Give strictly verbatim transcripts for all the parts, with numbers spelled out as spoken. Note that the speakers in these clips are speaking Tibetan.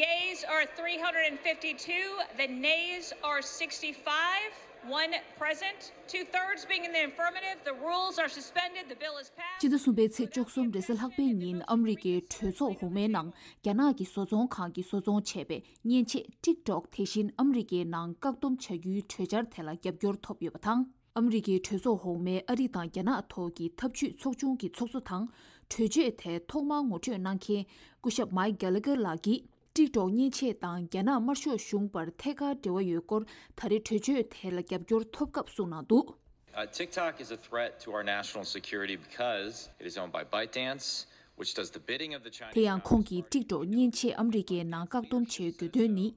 Yeas are three hundred fifty-two, the nays are sixty-five, one present, two thirds being in the affirmative. The rules are suspended, the bill is passed. སྤྱི་ཟླ་གསུམ་པའི་ཚེས་བཅུ་གསུམ་རེས་གཟའ་ལྷག་པའི་ཉིན་ཨ་མི་རི་ཀའི་གྲོས་ཚོགས་འོག་མའི་ནང་རྒྱ་ནག་གི་བཟོ་ཚོང་ཁང་གིས་བཟོ་ཚོང་བྱས་པའི་མཉེན་ཆས་ཊིག་ཊོག་དེ་བཞིན་ཨ་མི་རི་ཀའི་ནང་བཀག་སྡོམ་བྱ་རྒྱུའི་གྲོས་འཆར་དེ་ལ་རྒྱབ་སྐྱོར་ཐོབ་ཡོད་པ་དང་། ཨ་མི་རི་ཀའི་གྲོས་ཚོགས་འོག་མའི་ཨ་རི་དང་རྒྱ་ནག་ཐོག་གི་འཐབ་ཇུས་ཚོགས་ཆུང་གི་ཚོགས་གཙོ་དང་། གྲོས་ཆོད་དེ་ཐོག་མར་ངོ་སྤྲོད་གནང་མཁན་སྐུ་ཞབས་མའིག་གྷེ་ལ་གྷེར་ལགས་ཀྱིས། ཊིག་ཊོག་མཉེན་ཆས་དང་རྒྱ་ནག་དམར་ཤོག་གཞུང་བར་ཐད་ཀར་འབྲེལ་བ་ཡོད་སྐོར་ད་རེས་གྲོས་ཆོད་དེ་ལ་རྒྱབ་སྐྱོར་ཐོབ་སྐབས་གསུངས་གནང་འདུག Uh, TikTok is a threat to our national security because it is owned by ByteDance, which does the bidding of the Chinese དེ་ཡང་ཁོང་གིས་ཊིག་ཊོག་མཉེན་ཆས་ཨ་མི་རི་ཀའི་ནང་བཀག་སྡོམ་བྱེད་དགོས་དོན་ནི།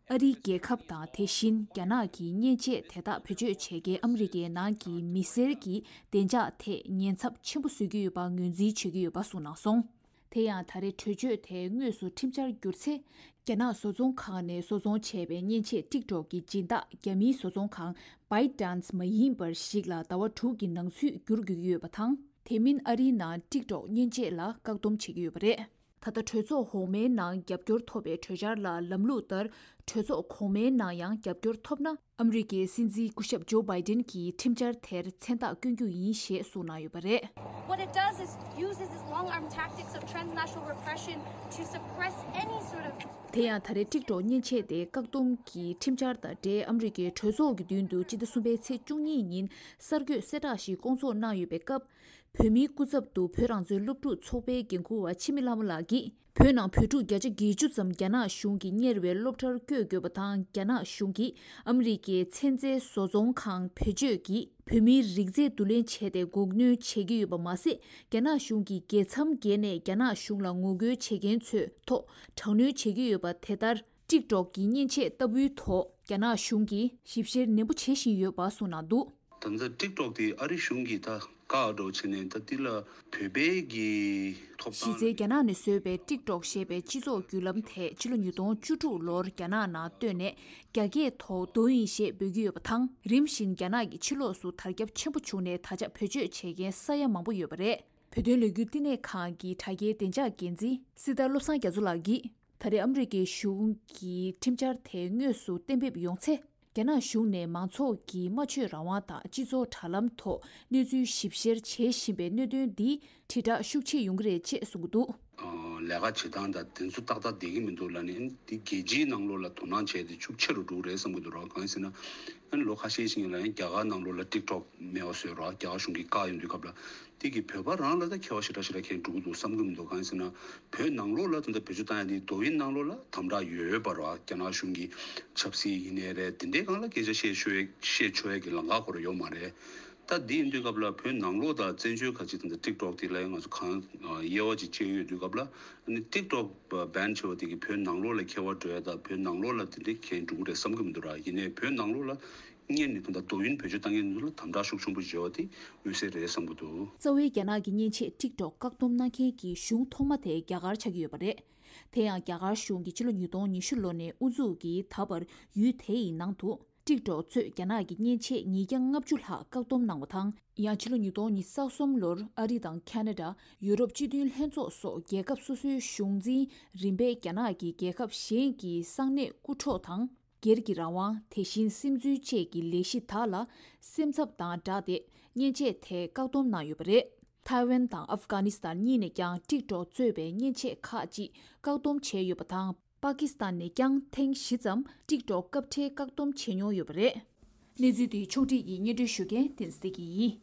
ཨ་རིའི་རྒྱལ་ཁབ་དང་དེ་བཞིན་རྒྱ་ནག་གིས་མཉེན་ཆས་དེ་དག་བེད་སྤྱོད་བྱེད་མཁན་ཨ་མི་རི་ཀའི་ནང་གི་མི་སེར་གྱི་བདེ་འཇགས་ཐད་ཉེན་ཚབས་ཆེན་པོ་བཟོ་གི་ཡོད་པ་ངོས་འཛིན་བྱེད་ཀྱི་ཡོད་པ་གསུངས་གནང་སོང་། དེ་ཡང་ད་རེས་གྲོས་ཆོད་དེ་དངོས་སུ་ཁྲིམས་འཆར་གྱུར་ཚེ། རྒྱ་ནག་བཟོ་ཚོང་ཁང་ནས་བཟོ་ཚོང་བྱས་པའི་མཉེན་ཆས་ཊིག་ཊོག་གི་སྦྱིན་བདག་རྒྱ་མིའི་བཟོ་ཚོང་ཁང་ByteDance མ་ཡིན་པར་ཞིག་ལ་ཟླ་བ་དྲུག་གི་ནང་ཚུད་བསྒྱུར་དགོས་ཀྱི་ཡོད་པ་དང་། དེ་མིན་ཨ་རིའི་ནང་ཊིག་ཊོག་མཉེན་ཆས་ལ་བཀག་སྡོམ་བྱེད་ཀྱི་ཡོད་པ་རེད། ད་ལྟ་གྲོས་ཚོགས་འོག་མའི་ནང་རྒྱབ་སྐྱོར་ཐོབ་པའི་གྲོས་འཆར་ལ་ལམ་ལུགས་ལྟར་གྲོས་ཚོགས་གོང་མའི་ནང་ཡང་རྒྱབ་སྐྱོར་ཐོབ་ན། ཨ་མི་རི་ཀའི་སྲིད་འཛིན་སྐུ་ཞབས་ཇོ་བྷའི་ཏིན་གྱིས་ཁྲིམས་འཆར་དེར་མཚན་རྟགས་བསྐྱོན་རྒྱུ་ཡིན་ཞེས་གསུངས་གནང་ཡོད་པ་རེད། What it does is uses its long-arm tactics of transnational repression to suppress any sort of དེ་ཡང་ད་རེས་ཊིག་ཊོག་མཉེན་ཆས་དེ་བཀག་སྡོམ་གྱི་ཁྲིམས་འཆར་དང་འབྲེལ་ཨ་མི་རི་ཀའི་གྲོས་ཚོགས་ཀྱི་མདུན་དུ་སྤྱི་ཟླ་གསུམ་པའི་ཚེས་བཅུ་གཉིས་ཉིན་གསར་འགོད་གསལ་བསྒྲགས་ཤིག་བསྐོང་ཚོགས་གནང་ཡོད་པའི་སྐབས། བོད་མིའི་སྐུ་ཚབ་ཏུ་བོད་རང་བཙན་སློབ་ཕྲུག་ཚོགས་པའི་འགན་འཁུར་བ་འཆི་མེད་ལྷ་མོ་ལགས་ཀྱིས། བོད་ནང་བོད་ཕྲུག་བརྒྱ་ཆ་བརྒྱད་ཅུ་ཙམ་རྒྱ་ནག་གཞུང་གིས་གཉེར་བའི་སློབ་གྲྭར་བསྐྱོད་དགོས་པ་དང་། རྒྱ་ནག་གཞུང་གིས་ཨ་མི་རི་ཀའི་ཚན་རྩལ་བཟོ་ཚོང་ཁང་བེད་སྤྱོད་ཀྱིས་བོད་མིའི་རིགས་རྫས་བསྡུ་ལེན་བྱས་ཏེ་འགོག་གནོན་བྱེད་ཀྱི་ཡོད་པ་མ་ཟད། རྒྱ་ནག་གཞུང་གིས་རྒྱལ་མཚམས་བརྒལ་ནས་རྒྱ་ནག་གཞུང་ལ་ངོ་རྒོལ་བྱེད་མཁན་ཚོའི་ཐོག་དྲག་གནོན་བྱེད་ཀྱི་ཡོད་པ། དེ་ལྟར། ཊིག་ཊོག་གི་མཉེན་ཆས་ལྟ་བུའི་ཐོག་རྒྱ་ནག་གཞུང་གིས་ཞིབ་བཤེར་ནན་པོ་བྱེད་བཞིན་ཡོད་པ་གསུངས་གནང་འདུག་ད་ལྟ་ཊིག་ཊོག་དེ་ཨ་རི་གཞུང་གིས་ད་བཀག་འགྲོ་བྱས་ནས་ད་འདི་ལ་བོད་པའི་གི་ཐོབ་གཞི་རྩའི་ཐང་རྒྱ་ནག་ནས་བཟོས་པའི་ཊིག་ཊོག་ཞེས་པའི་སྤྱི་ཚོགས་བརྒྱུད་ལམ་དེ་ཕྱི་ལོ་ཉིས་སྟོང་བཅུ་དྲུག་ལོར་རྒྱ་ནག་ནང་བཏོན་ནས་རྒྱ་སྐད་ཐོག་ཌོ་ཨིན་ཞེས་འབོད་ཀྱི་ཡོད་པ་དང་། རིམ་བཞིན་རྒྱ་ནག་གི་ཕྱི་ལོགས་སུ་དར་ཁྱབ་ཆེན་པོ་བྱུང་ནས་ད་ཆ་བེད་སྤྱོད་བྱེད་མཁན་ས་ཡ་མང་པོ་ཡོད་པ་རེད། བོད་དོན་ལས་འགུལ་བསྟི་གནས་ཁང་གི་དྲ་རྒྱའི་བདེ་འཇགས་འགན་འཛིན་སྲི་ཐར་བློ་བཟང་རྒྱ་མཚོ་ལགས་ཀྱིས། ད་རེས་ཨ་མི་རི་ཀའི་གཞུང་གིས་ཁྲིམས་འཆར་དེ་དངོས་སུ་གཏན་འབེབས་ཡོང་ཚེ། རྒྱ་ནག་གཞུང་ནས་མང་ཚོགས་ཀྱི་སྨྲ་བརྗོད་རང་དབང་དང་སྤྱི་ཚོགས་དྲ་ལམ་ཐོག་གནས་ཚུལ་ཞིབ་བཤེར་བྱེད་བཞིན་པའི་གནད་དོན་འདི་དྲིལ་བསྒྲགས་ཤུགས་ཆེ་ཡོང་གི་རེད་ཅེས་གསུངས་ཀྱི་འདུག་ལས་ཀ་བྱེད་སྟངས་དང་དེ་ཚོ་ཏག་ཏག་བསྡད་ཀྱི་མི་འདུག་ལབ་ནས། འདི་རྒྱལ་སྤྱིའི་ནང་ལོགས་ལ་དོ་སྣང་བྱས་ཏེ་ཤུགས་ཆེ་རུ་འགྲོ་གི་རེད་བསམ་གྱི་འདུག་ར། གང་ཡིན་ཟེར་ན། ཨ་ནི་ལོ་ཁ་ཤས་ཤིག་ལ་ཡང་རྒྱ་གར་ནང་ལོགས་ལ་ཊིག་ཊོག་མེད་པ་བཟོས་ར། རྒྱ་གར་གཞུང་གིས་བཀག་ཡོང་དུས་སྐབས་ལ། དེ་གིས་བོད་པ་རང་ལ་ད་ཁྱད་པར་ཞེ་དྲག་ཞེ་དྲག་གང་ཡང་འགྲོ་གི་འདུག་བསམ་གྱི་མི་འདུག་གང་ཡིན་ཟེར་ན། བོད་ནང་ལོགས་ལ་ད་ལྟ་བེད་སྤྱོད་བཏང་ཡ་དེ་ཌོ་ཨིན་ནང་ལོགས་ལ་དམ་དྲག་ཡོད་པ་ར། རྒྱ་ནག་གཞུང་གི་ཆབ་སྲིད་ཡིན་ནའི་རེད། དེ་འདྲའི་སྒང་ལ་སྐད་ཆ་བཤད་ཆོག་ཡ་བཤད་ཆོག་ཡ་གི་ལམ་ཁ་ཁོ་རང་ཡོད་མ་རེད། ད་འདི་ཡིན་དུས་སྐབས་ལ་བོད་ནང་ལོགས་དང་བཙན་བྱོལ་ཁ་ཅིག་ད་ལྟ་ཊིག་ཊོག་དེ་ལ་ཡང་ང་ཚོ་གང་དབྱེ་བ་ཅིག་ཕྱེ་ཡོད་དུས་སྐབས་ལ། ཨ་ནི་ཊིག་ཊོག་བྷན་བྱས་པ་དེ་གིས་བོད་ནང་ལོགས་ལ་ཁྱད་པར་འགྲོ་ཡ་དང་། བོད་ནང་ལོགས་ལ་དེ་འདྲའི་གང་ཡང་འགྲོ་གི་རེད་བསམ་གྱི་མི་འདུག་ར། ཡིན་ནའི་བོད་ནང་ལོགས་ལ་སྔོན་ནས་ད་ལྟ་ཌོ་ཨིན་བེད་སྤྱོད་བཏང་མཁན་ཚོ་ལ་དམ་དྲག་ཤུགས་ཆེན་པོ་བྱས་པ་དེ་མངོན་གསལ་རེད་བསམ་གྱི་འདུག་རྩ་བའི་རྒྱ་ནག་གི་མཉེན་ཆས་ཊིག་ཊོག་བཀག་སྡོམ་གནང་མཁན་གྱི་གཞུང་ཐོག་མ་དེ་རྒྱ་གར་ཆགས་ཀྱི་ཡོད་པ་རེད། དེ་ཡང་རྒྱ་གར་གཞུང་གིས་ཕྱི་ལོ་ཉིས་སྟོང་ཉི་ཤུ་ལོ་ནས་དབུ་འཛུགས་ཀྱིས་ད་བར་ཡུལ་དེ་ཡི་ནང་དུ་ཊིག་ཊོག་གཙོས་རྒྱ་ནག་གི་མཉེན་ཆས་ཉིས་བརྒྱ་ལྔ་བཅུ་ལྷག་བཀག་སྡོམ་གནང་བ་དང་། ཡང་ཕྱི་ལོ་ཉིས་སྟོང་ཉི་ཤུ་རྩ་གསུམ་ལོར་ཨ་རི་དང་ཁ་ན་ཌ། ཡུ་རོབ་སྤྱི་མཐུན་ལྷན་ཚོགས་སོགས་རྒྱལ་ཁབ་སོ་སོའི་གཞུང་འཛིན་རིམ་པས་རྒྱ་ནག་གིས་རྒྱལ་ཁབ་གཞན་གྱི་གསང་གནས་རྐུ་འཕྲོག་དང་། སྒེར་གྱི་རང་དབང་། དེ་བཞིན་སིམ་འཛུལ་བཅས་ཀྱི་ལས་གཞི་དག་ལ་སེམས་འཚབ་དང་སྦྲགས་ཏེ་མཉེན་ཆས་དེ་བཀག་སྡོམ་གནང་ཡོད་པ་རེད། ཐའེ་ཝན་དང་ཨབ་གྷ་ནི་སི་ཐན་གཉིས་ནས་ཀྱང་ཊིག་ཊོག་གཙོས་པའི་མཉེན་ཆས་ཁག་ཅིག་བཀག་སྡོམ་བྱས་ཡོད་པ་དང་། པ་ཀི་སི་ཐན་ནས་ཀྱང་ཐེངས་བཞི་ཙམ་ཊིག་ཊོག་སྐབས་འཕྲལ་བཀག་སྡོམ་བྱས་མྱོང་ཡོད་པ་རེད། གནས་ཚུལ་འདི་ཕྱོགས་སྒྲིག་གིས་སྙན་སྒྲོན་ཞུ་མཁན་བསྟན་འཛིན་བདེ་སྐྱིད་ཡིན།